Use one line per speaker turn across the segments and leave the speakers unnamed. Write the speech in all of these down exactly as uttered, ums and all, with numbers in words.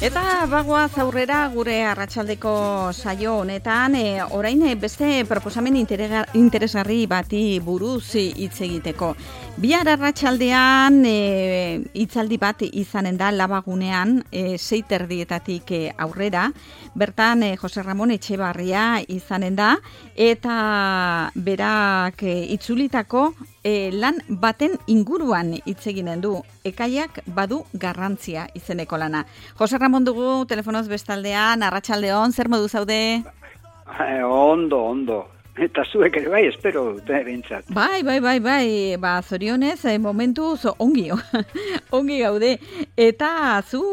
Eta bagoaz aurrera gure arratsaldeko saio honetan, e, orain beste proposamen interesgarri bati buruz hitz egiteko. Bihar arratsaldean e, hitzaldi bat izanen da Labagunean, e, sei terdietatik e, aurrera. Bertan e, Jose Ramon Etxebarria izanen da, eta berak e, itzulitako e, lan baten inguruan hitz eginen du. Ekaiak badu garrantzia izeneko lana. Jose Ramon dugu telefonoz bestaldean, arratsaldeon, zer modu zaude?
Eh, ondo, ondo. Eta zuek ere bai, espero dute bintzat.
Bai, bai, bai, bai, ba, zorionez, eh, momentuz ongi, ongi gaude. Eta zu,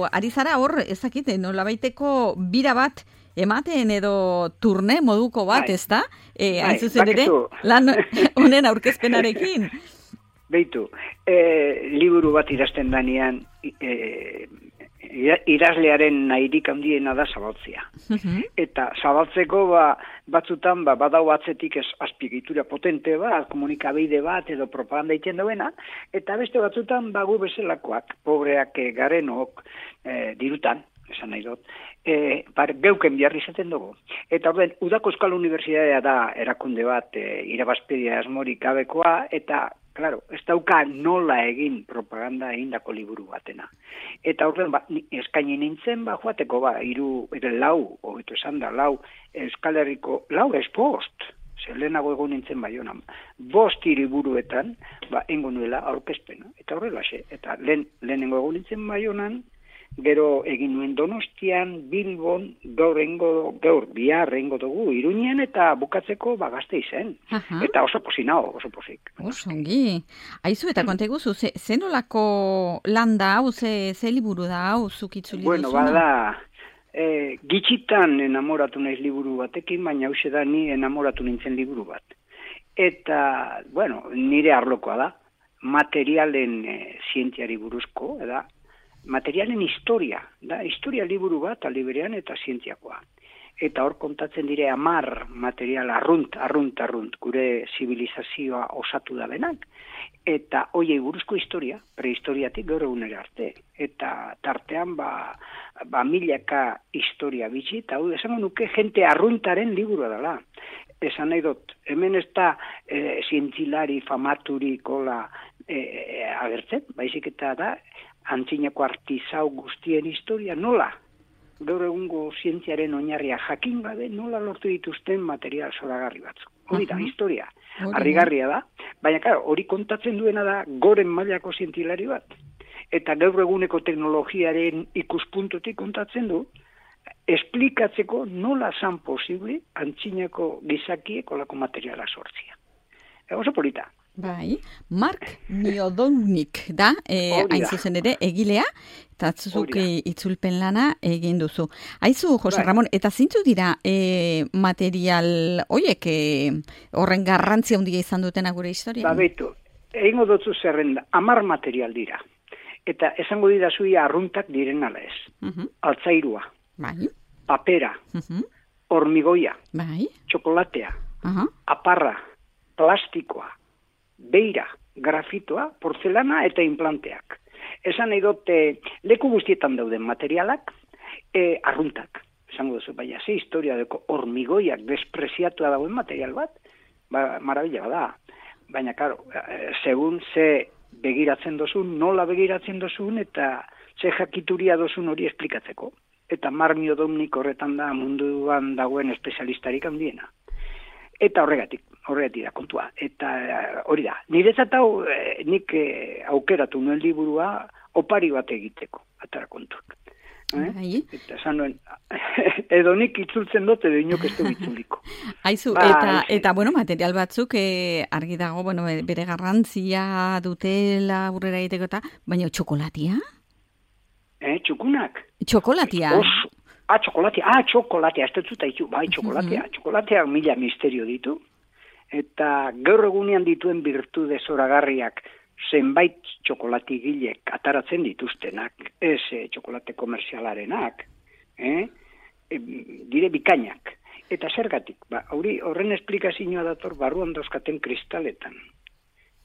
ari zara hor, ezakite, nolabaiteko bira bat ematen edo turne moduko bat,
bai.
ezta? E,
bai,
hain zuzen ere,
bakizu.
lan honen aurkezpenarekin.
Beitu, eh, liburu bat idazten danean, eh, idazlearen nahirik handiena da zabaltzea.
Mhm.
Eta zabaltzeko ba, batzutan ba, badau atzetik ez azpiegitura potente bat, komunikabide bat edo propaganda egiten duena, eta beste batzutan bagu bezalakoak, pobreak e, garenok e, dirutan, esan nahi dut, e, bar, geuken biharri izaten dugu. Eta orden, Udako Euskal Unibertsitatea da erakunde bat e, irabazpedia asmorik gabekoa, eta claro, ez dauka nola egin propaganda egindako liburu batena. Eta horren ba, eskaini nintzen, ba, joateko, ba, iru, ere lau, hobeto esan da, lau, Euskal Herriko, lau ez bost, zer lehenago egon nintzen Baionan, bost hiriburuetan, ba, engo nuela aurkezpena. Eta horrela xe, eta lehen, lehenengo egon nintzen Baionan, gero egin nuen Donostian, Bilbon, gaur engo, gaur bihar engo dugu, Iruñen eta bukatzeko ba Gasteizen.
Aha.
Eta oso posinao, oso posik.
Oso ongi. Aizu, eta konta iguzu, ze, ze nolako lan da hau, ze, ze liburu da hau, zuk itzuli
Bueno,
duzuna?
bada, e, gitxitan enamoratu naiz liburu batekin, baina hause da ni enamoratu nintzen liburu bat. Eta, bueno, nire arlokoa da, materialen e, zientziari buruzko, eda, materialen historia, da, historia liburu bat aliberean eta zientziakoa. Eta hor kontatzen dire amar material arrunt, arrunt, arrunt, gure zibilizazioa osatu da benak. Eta hoiei buruzko historia, prehistoriatik gaur egunera arte. Eta tartean ba, ba milaka historia bitxi, eta hau esango nuke jente arruntaren liburua dela. Esan nahi dut, hemen ez da e, zientzilari famaturi kola e, agertzen, baizik eta da, antzinako artizau guztien historia nola, gaur egungo zientziaren oinarria jakin gabe nola lortu dituzten material zoragarri batzuk. Hori da,
Aha.
historia.
Hori da.
Harrigarria da, baina claro, hori kontatzen duena da goren mailako zientzilari bat. Eta gaur eguneko teknologiaren ikuspuntutik kontatzen du, esplikatzeko nola zan posible antzinako gizakiek olako materiala sortzia. E, oso polita.
Bai, Mark Miodownik da, e,
Hori da.
hain zuzen ere, egilea, eta zuk
Hori da.
e, itzulpen lana egin duzu. Aizu, Jose
Bai.
Ramon, eta zintzu dira e, material hoiek e, horren garrantzia handia izan dutena gure historia?
Ba, betu, egingo dutzu zerrenda, amar material dira. Eta esango dira zuia arruntak diren ala ez.
Mhm.
Altzairua,
Bai,
papera,
mhm,
hormigoia,
bai,
txokolatea,
aha,
aparra, plastikoa, beira, grafitoa, porzelana eta implanteak. Esan nahi dute leku guztietan dauden materialak, e, arruntak. Esango duzu, baina ze historia deko hormigoiak despreziatua dagoen material bat, ba, marabila da. Baina, karo, e, segun ze begiratzen dozun, nola begiratzen dozun, eta ze jakituria dozun hori esplikatzeko. Eta Mark Miodownik horretan da munduan dagoen espezialistarik handiena. Eta horregatik, horregatik da kontua. Eta hori da, niretzat hau eh, nik eh, aukeratu nuen liburua opari bat egiteko, atara kontuak. Eh?
bai.
Eta esan nuen, edo nik itzultzen dut, edo inok ez du itzuliko.
Aizu,
Bai,
eta,
bai.
eta, bueno, material batzuk e, argi dago, bueno, bere garrantzia dutela aurrera egiteko eta, baina txokolatia?
Eh, txukunak?
Txokolatia?
Oso. Ah, txokolatea, ah, txokolatea, ez dut zuta ditu, bai, txokolatea, txokolatea mila misterio ditu, eta gaur egunean dituen virtude zoragarriak zenbait txokolatigilek ataratzen dituztenak, ez eh, txokolate komerzialarenak, eh? E, dire bikainak. Eta zergatik, ba, hori horren esplikazioa dator barruan dauzkaten kristaletan.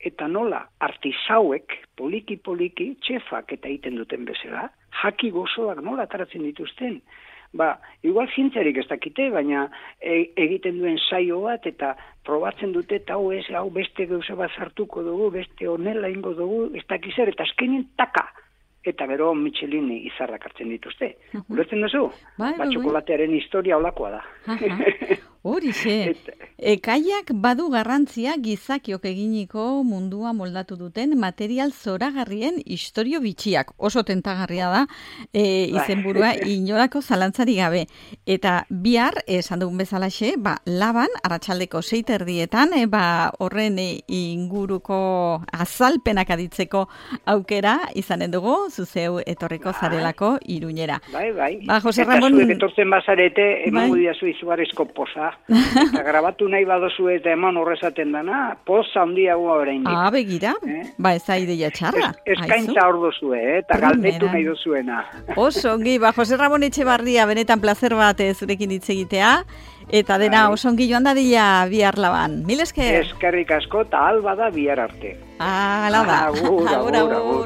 Eta nola artisauek poliki-poliki txefak eta egiten duten bezala, jaki gozoak nola ataratzen dituzten. Ba, igual zientziarik ez dakite, baina e, egiten duen saio bat eta probatzen dute eta hau ez, hau beste gauza bat sartuko dugu, beste honela ingo dugu, ez dakizer, eta azkenin taka. Eta gero Michelin izarrak hartzen dituzte. Ulertzen duzu?
Bai,
ba,
bai,
txokolatearen historia olakoa da.
Hori ze. Ekaiak badu garrantzia gizakiok eginiko mundua moldatu duten material zoragarrien istorio bitxiak. Oso tentagarria da, e, izenburua inolako zalantzari gabe. Eta bihar, esan dugun bezalaxe, ba, laban, arratsaldeko sei erdietan, e, ba, horren e, inguruko azalpenak aditzeko aukera izanen dugu, zuzeu etorriko zarelako Iruñera.
Bai, bai.
Ba, Jose
eta
Ramon...
zuek etortzen bazarete, emango
bai.
diazu izugarrizko poza. Eta grabatu nahi badozu eta eman horrezaten dana, poza handiagoa oraindik.
Ah, begira, eh? Ba, ez da ideia txarra.
Ez, eskaintza hor dozue, eh? Eta galdetu nahi dozuena.
Oso, ongi, ba, Jose Ramon Etxebarria, benetan plazer bat zurekin hitz egitea, eta dena bai. Oso ongi joan dadila bihar laban. Mil esker?
Eskerrik asko, eta alba da bihar arte.
Ah, ala da.
Agur, agur, agur.